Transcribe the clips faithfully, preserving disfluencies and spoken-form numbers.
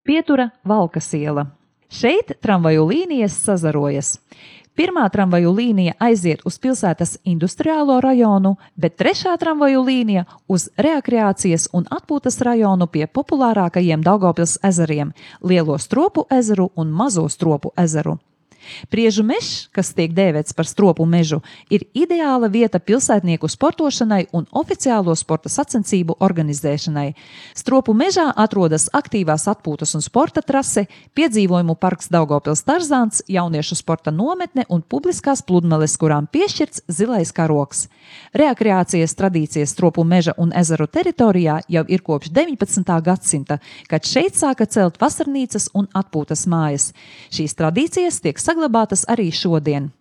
Pietura Valkas iela. Šeit tramvaju līnijas sazarojas. Pirmā tramvaju līnija aiziet uz pilsētas industriālo rajonu, bet trešā tramvaju līnija uz rekreācijas un atpūtas rajonu pie populārākajiem Daugavpils ezeriem – Lielo Stropu ezeru un Mazo Stropu ezeru. Priežu mežs, kas tiek dēvēts par stropu mežu, ir ideāla vieta pilsētnieku sportošanai un oficiālo sporta sacensību organizēšanai. Stropu mežā atrodas aktīvās atpūtas un sporta trase, piedzīvojumu parks Daugavpils Tarzāns, jauniešu sporta nometne un publiskās pludmales, kurām piešķirts zilais karogs. Rekreācijas tradīcijas Stropu meža un ezeru teritorijā jau ir kopš deviņpadsmitā gadsimta, kad šeit sāka celt vasarnīcas un atpūtas mājas. Šīs tradīcijas tiek saglabātas arī šodien.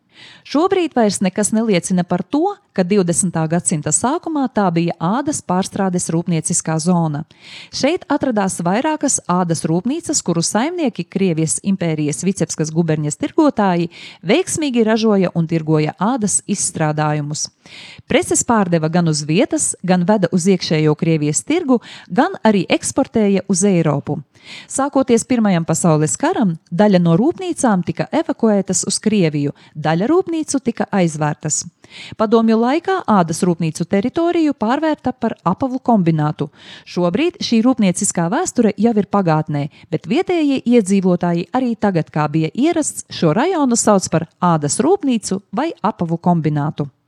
Šobrīd vairs nekas neliecina par to, ka divdesmitā gadsimta sākumā tā bija ādas pārstrādes rūpnieciskā zona. Šeit atradās vairākas ādas rūpnīcas, kuru saimnieki, Krievijas impērijas Vicebskas guberņas tirgotāji, veiksmīgi ražoja un tirgoja ādas izstrādājumus. Preces pārdeva gan uz vietas, gan veda uz iekšējo Krievijas tirgu, gan arī eksportēja uz Eiropu. Sākoties Pirmajam pasaules karam, daļa no rūpnīcām tika evakuētas uz Krieviju, daļa rūpnīcu tika aizvērtas. Padomju laikā ādas rūpnīcu teritoriju pārvērta par apavu kombinātu. Šobrīd šī rūpnieciskā vēsture jau ir pagātnē, bet vietējie iedzīvotāji arī tagad, kā bija ierasts, šo rajonu sauc par ādas rūpnīcu vai apavu kombinātu.